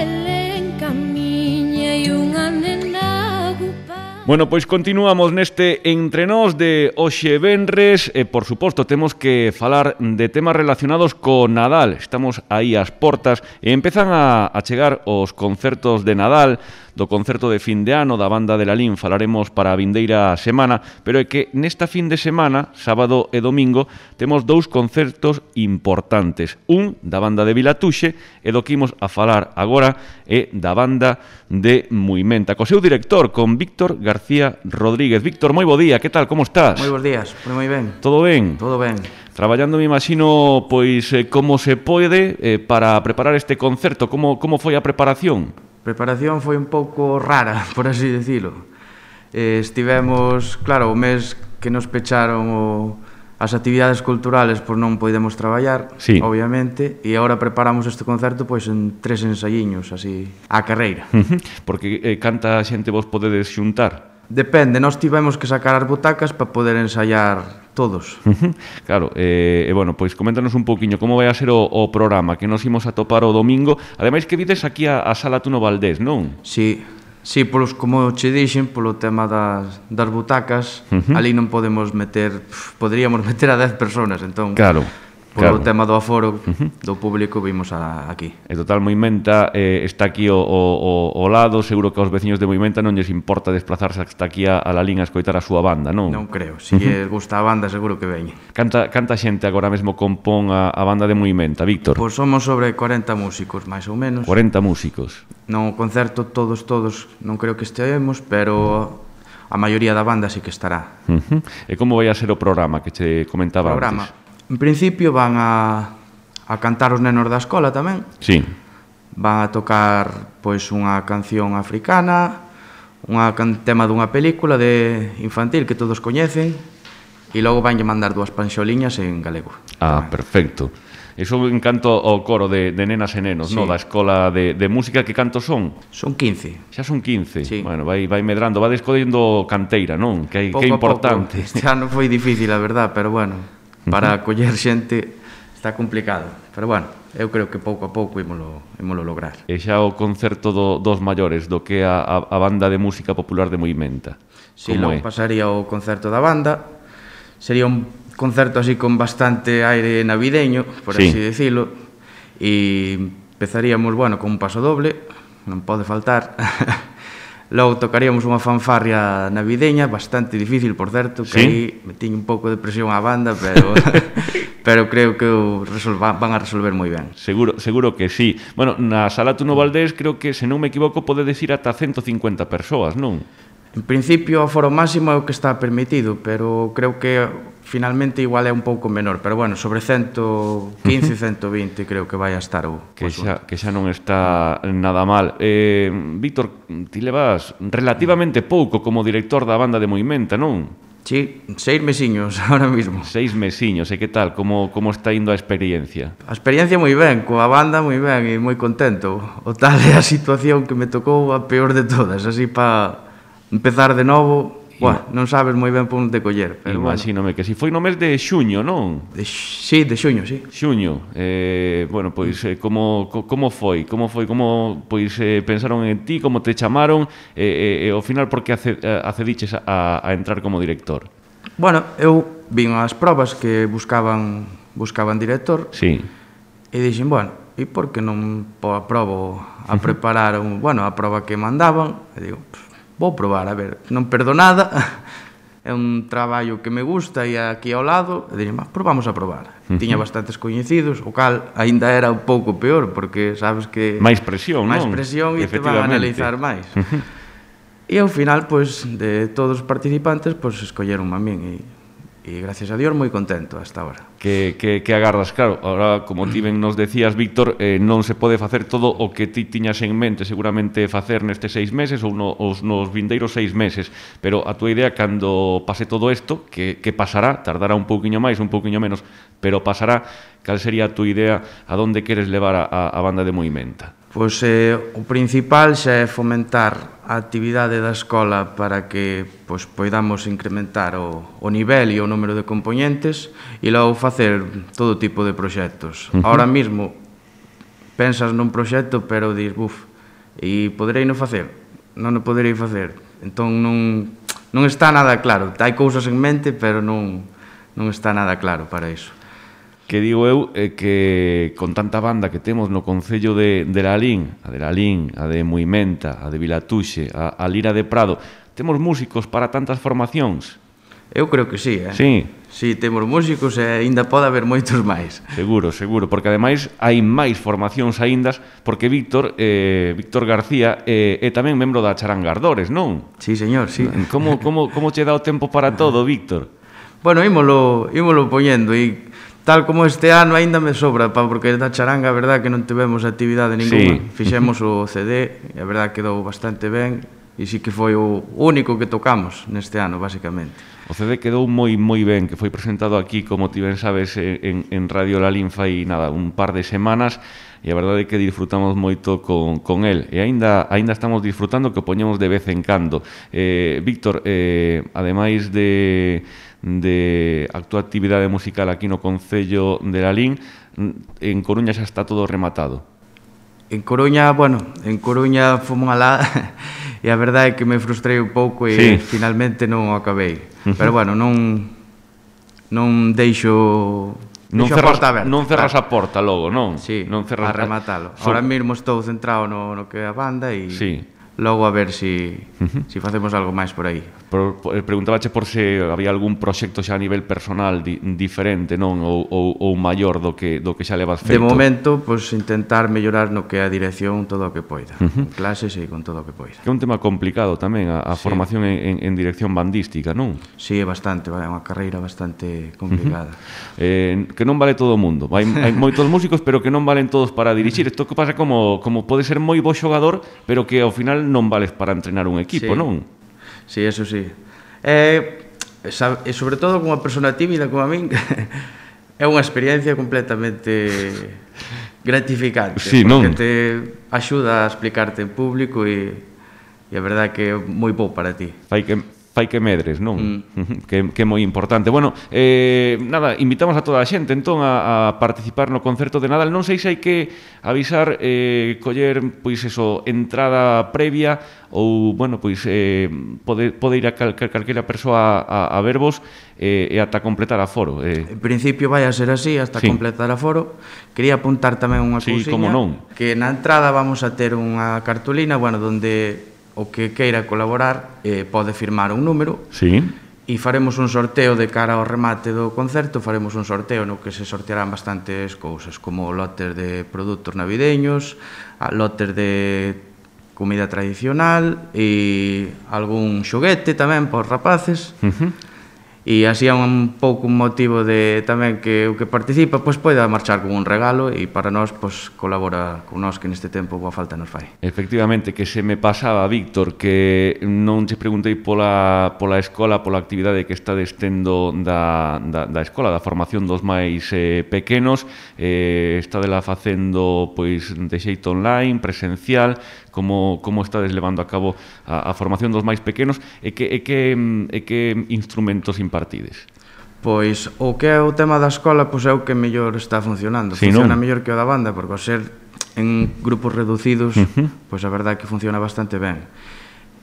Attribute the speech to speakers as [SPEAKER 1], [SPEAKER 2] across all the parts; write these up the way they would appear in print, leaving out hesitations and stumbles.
[SPEAKER 1] Belén camiña e unha nena agupa.
[SPEAKER 2] Bueno, pois continuamos neste Entre Nós de hoxe venres e, por suposto, temos que falar de temas relacionados co Nadal. Estamos aí ás portas e empezan a chegar os concertos de Nadal, do concerto de fin de ano da banda de Lalín falaremos para a vindeira semana, pero é que nesta fin de semana, sábado e domingo, temos dous concertos importantes. Un da banda de Vilatuxe e do que imos a falar agora é da banda de Muimenta, co seu director, con Víctor García Rodríguez. Víctor, moi bo día, que tal, como estás?
[SPEAKER 3] Moi bons días, moi ben.
[SPEAKER 2] Todo ben?
[SPEAKER 3] Todo ben.
[SPEAKER 2] Traballando, me imagino, pois, como se pode para preparar este concerto. Como foi a preparación?
[SPEAKER 3] A preparación foi un pouco rara, por así decirlo. Estivemos, claro, o mes que nos pecharon as actividades culturales, pois non podemos traballar, sí, obviamente, e agora preparamos este concerto pois en 3 ensaiños, así, á carreira.
[SPEAKER 2] Porque canta xente vos podedes xuntar?
[SPEAKER 3] Depende, nós tivemos que sacar as butacas para poder ensaiar todos.
[SPEAKER 2] Claro, bueno, pois coméntanos un poquinho como vai a ser o programa que nos imos a topar o domingo. Ademais que vides aquí a Sala Tuno Valdés, non?
[SPEAKER 3] Sí, polos, como che dixen, polo tema das butacas, ali non podemos meter, poderíamos meter a 10 personas, entón...
[SPEAKER 2] Claro.
[SPEAKER 3] Polo tema do aforo do público vimos aquí.
[SPEAKER 2] E total, Muimenta está aquí ao lado, seguro que aos veciños de Muimenta non lles importa desplazarse hasta aquí a Lalín a escoitar a súa banda, non?
[SPEAKER 3] Non creo, se lles gusta a banda seguro que veñen.
[SPEAKER 2] Canta xente agora mesmo compón a banda de Muimenta, Víctor?
[SPEAKER 3] Pois somos sobre 40 músicos, máis ou menos.
[SPEAKER 2] 40 músicos.
[SPEAKER 3] No concerto todos non creo que estemos, pero a maioría da banda sí que estará.
[SPEAKER 2] E como vai a ser o programa que che comentaba antes?
[SPEAKER 3] En principio van a cantar os nenos da escola tamén.
[SPEAKER 2] Sí.
[SPEAKER 3] Van a tocar pois unha canción africana, tema dunha película de infantil que todos coñecen, e logo vanlle mandar 2 panxoliñas en galego.
[SPEAKER 2] Ah, perfecto. Iso en canto ao coro de nenas e nenos, sí, da escola de música, que cantos son?
[SPEAKER 3] Son 15.
[SPEAKER 2] Xa son 15?
[SPEAKER 3] Sí.
[SPEAKER 2] Bueno, vai medrando, va descodendo canteira, non? Que é importante.
[SPEAKER 3] Este ano foi difícil, a verdad, pero bueno, para acoller xente está complicado. Pero bueno, eu creo que pouco a pouco ímolo lograr.
[SPEAKER 2] E xa o concerto dos maiores, do que a banda de música popular de Muimenta.
[SPEAKER 3] Si, logo pasaría o concerto da banda. Sería un concerto así con bastante aire navideño, por así decirlo, e empezaríamos, bueno, con un paso doble, non pode faltar. Logo tocaríamos unha fanfarria navideña, bastante difícil, por certo, que aí me tiño un pouco de presión á banda, pero creo que van a resolver moi ben.
[SPEAKER 2] Seguro que sí. Bueno, na Sala Tuno Valdés creo que, se non me equivoco, podedes ir ata 150 persoas, non?
[SPEAKER 3] En principio, o aforo máximo é o que está permitido, pero creo que finalmente igual é un pouco menor, pero bueno, sobre 115, 120 creo que vai a estar o asunto.
[SPEAKER 2] Que xa non está nada mal. Víctor, ti levas relativamente pouco como director da banda de Muimenta, non?
[SPEAKER 3] Sí, 6 mesiños ahora mismo.
[SPEAKER 2] 6 mesiños, e que tal? Como está indo a experiencia?
[SPEAKER 3] A experiencia moi ben, coa banda moi ben e moi contento. O tal é a situación que me tocou a peor de todas, así para empezar de novo. Non sabes moi ben por onde coller.
[SPEAKER 2] Imagínome que si foi no mes de xuño, non?
[SPEAKER 3] Sí, de xuño, sí.
[SPEAKER 2] Xuño. Bueno, pois, como foi? Como pensaron en ti, como te chamaron, e ao final por que accediches a entrar como director?
[SPEAKER 3] Bueno, eu vin as probas que buscaban director.
[SPEAKER 2] Sí.
[SPEAKER 3] E dixen, bueno, e por que non aprobo a preparar a proba que mandaban? E digo, vou probar, a ver, non perdo nada, é un traballo que me gusta e aquí ao lado, e dixen, probamos a probar. Tiña bastantes coñecidos, o cal aínda era un pouco peor, porque sabes que...
[SPEAKER 2] Máis presión, non?
[SPEAKER 3] Máis presión e te van a analizar máis. E ao final, pois, de todos os participantes, pois, escolleronme a min e gracias a Dios moi contento hasta ahora.
[SPEAKER 2] Que agardas, claro, ahora, como ti ben nos decías, Víctor, non se pode facer todo o que ti tiñas en mente seguramente facer nestes 6 meses ou nos vindeiros 6 meses, pero a tua idea, cando pase todo isto, que pasará, tardará un pouquiño máis, un pouquiño menos, pero pasará, cal sería a tua idea, a donde queres levar a banda de Muimenta?
[SPEAKER 3] Pois o principal xa é fomentar a actividade da escola para que poidamos incrementar o nivel e o número de componentes e logo facer todo tipo de proxectos. Ahora mesmo pensas nun proxecto pero dis, E poderei non facer? Non o poderei facer. Entón non está nada claro. Hai cousas en mente, pero non está nada claro para iso.
[SPEAKER 2] Que digo eu que con tanta banda que temos no Concello de Lalín, a de Muimenta, a de Vilatuxe, a Lira de Prado, temos músicos para tantas formacións?
[SPEAKER 3] Eu creo que sí,
[SPEAKER 2] Sí.
[SPEAKER 3] Sí, temos músicos e aínda pode haber moitos máis.
[SPEAKER 2] Seguro, porque ademais hai máis formacións aíndas, porque Víctor García é tamén membro da Charanga Ardores, non?
[SPEAKER 3] Sí, señor, sí.
[SPEAKER 2] Como che dá o tempo para todo, Víctor?
[SPEAKER 3] Bueno, ímolo poñendo e tal como este ano aínda me sobra, porque da charanga a verdad que non tivemos actividade ninguna.
[SPEAKER 2] Sí.
[SPEAKER 3] Fixemos o CD e a verdad quedou bastante ben e sí que foi o único que tocamos neste ano, basicamente.
[SPEAKER 2] O CD quedou moi ben, que foi presentado aquí, como ti ben sabes, en Radio Lalín fai nada, un par de semanas, e a verdade é que disfrutamos moito con el, e aínda estamos disfrutando, que o poñemos de vez en cando. Víctor, ademais de a túa actividade musical aquí no Concello de Lalín, en Coruña xa está todo rematado.
[SPEAKER 3] En Coruña fomos alá e a verdade é que me frustrei un pouco e finalmente non o acabei. Pero bueno, non deixo a porta aberta.
[SPEAKER 2] Non cerras a porta logo, non?
[SPEAKER 3] Sí, a rematalo. Ahora mesmo estou centrado no que é a banda e logo a ver si facemos algo máis por aí.
[SPEAKER 2] Preguntabache por se había algún proxecto xa a nivel personal diferente, non? Ou maior do que xa levas feito.
[SPEAKER 3] De momento, pois intentar mellorar no que é a dirección todo o que poida. En clases e con todo o que poida.
[SPEAKER 2] Que é un tema complicado tamén, a formación en dirección bandística, non?
[SPEAKER 3] Sí, é bastante, é unha carreira bastante complicada.
[SPEAKER 2] Que non vale todo o mundo. Hai moitos músicos, pero que non valen todos para dirixir. Isto que pasa como pode ser moi bo xogador, pero que ao final non vales para entrenar un equipo, non?
[SPEAKER 3] Sí, eso sí. E sobre todo con unha persona tímida como a min, é unha experiencia completamente gratificante, porque te axuda a explicarte en público e a verdade que é moi bo para ti.
[SPEAKER 2] Fai que medres, non? Que é moi importante. Bueno, nada, invitamos a toda a xente entón a participar no concerto de Nadal. Non sei se hai que avisar, coller, pois eso, entrada previa ou, bueno, pois pode ir a calquera persoa a vervos e ata completar aforo.
[SPEAKER 3] En principio vai a ser así, hasta completar aforo. Quería apuntar tamén unha cousiña, que na entrada vamos a ter unha cartulina, bueno, donde o que queira colaborar pode firmar un número e faremos un sorteo de cara ao remate do concerto. Faremos un sorteo no que se sortearán bastantes cousas, como lotes de produtos navideños, lotes de comida tradicional e algún xoguete tamén para os rapaces. E así é un pouco un motivo de tamén que o que participa pois poida marchar con un regalo e para nós pois colabora con nós que neste tempo boa falta nos fai.
[SPEAKER 2] Efectivamente, que se me pasaba, Víctor, que non che preguntei pola escola, pola actividade que está tendo da escola, da formación dos máis pequenos, estadela facendo pois de xeito online, presencial, como estades levando a cabo a formación dos máis pequenos e que instrumentos impartides?
[SPEAKER 3] Pois o que é o tema da escola pois é o que mellor está funcionando. Funciona mellor que o da banda, porque ao ser en grupos reducidos pois a verdade é que funciona bastante ben.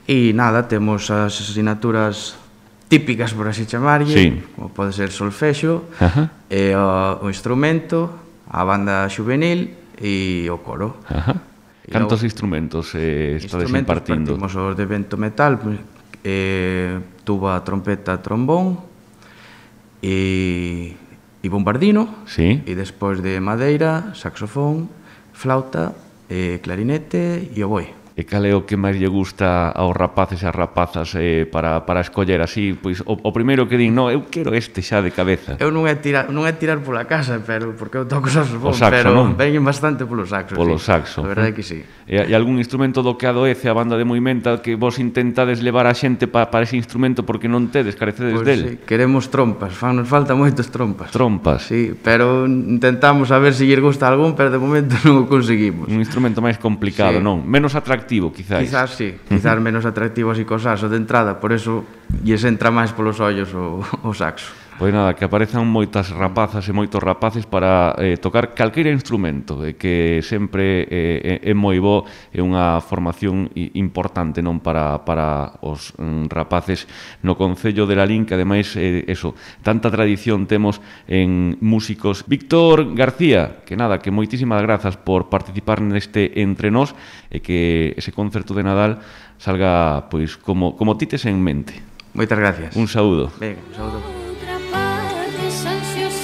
[SPEAKER 3] E nada, temos as asignaturas típicas, por así chamarlle, como pode ser solfexo, o instrumento, a banda xuvenil e o coro.
[SPEAKER 2] Cantos instrumentos estades impartindo?
[SPEAKER 3] Partimos os de vento metal, tuba, trompeta, trombón e bombardino, e despois de madeira, saxofón, flauta, clarinete e oboe.
[SPEAKER 2] E cal é o que máis lle gusta aos rapaces e as rapazas para escoller así? Pois o primeiro que din, no, eu quero este xa de cabeza.
[SPEAKER 3] Eu non é tirar pola casa, pero porque eu toco saxofón, pero veñen bastante polo saxo.
[SPEAKER 2] Polo saxo.
[SPEAKER 3] A verdade é que sí.
[SPEAKER 2] E algún instrumento do que adoece a banda de Muimenta que vos intentades levar a xente para ese instrumento porque non tedes, carecedes del?
[SPEAKER 3] Pois sí, queremos trompas, nos falta moitos trompas.
[SPEAKER 2] Trompas?
[SPEAKER 3] Sí, pero intentamos a ver se lles gusta algún, pero de momento non o conseguimos.
[SPEAKER 2] Un instrumento máis complicado, non? Menos atractivo, quizás.
[SPEAKER 3] Quizás sí, menos atractivo así co saxo de entrada, por eso lles entra máis polos ollos o saxo.
[SPEAKER 2] Pois nada, que aparezan moitas rapazas e moitos rapaces para tocar calqueira instrumento, que sempre é moi bo, é unha formación importante non para os rapaces no Concello de Lalín, que ademais, eso, tanta tradición temos en músicos. Víctor García, que nada, que moitísimas grazas por participar neste Entre Nós e que ese concerto de Nadal salga pois como tites en mente.
[SPEAKER 3] Moitas gracias.
[SPEAKER 2] Un saúdo.
[SPEAKER 3] Venga, un saúdo.
[SPEAKER 1] Outra parte ansiosa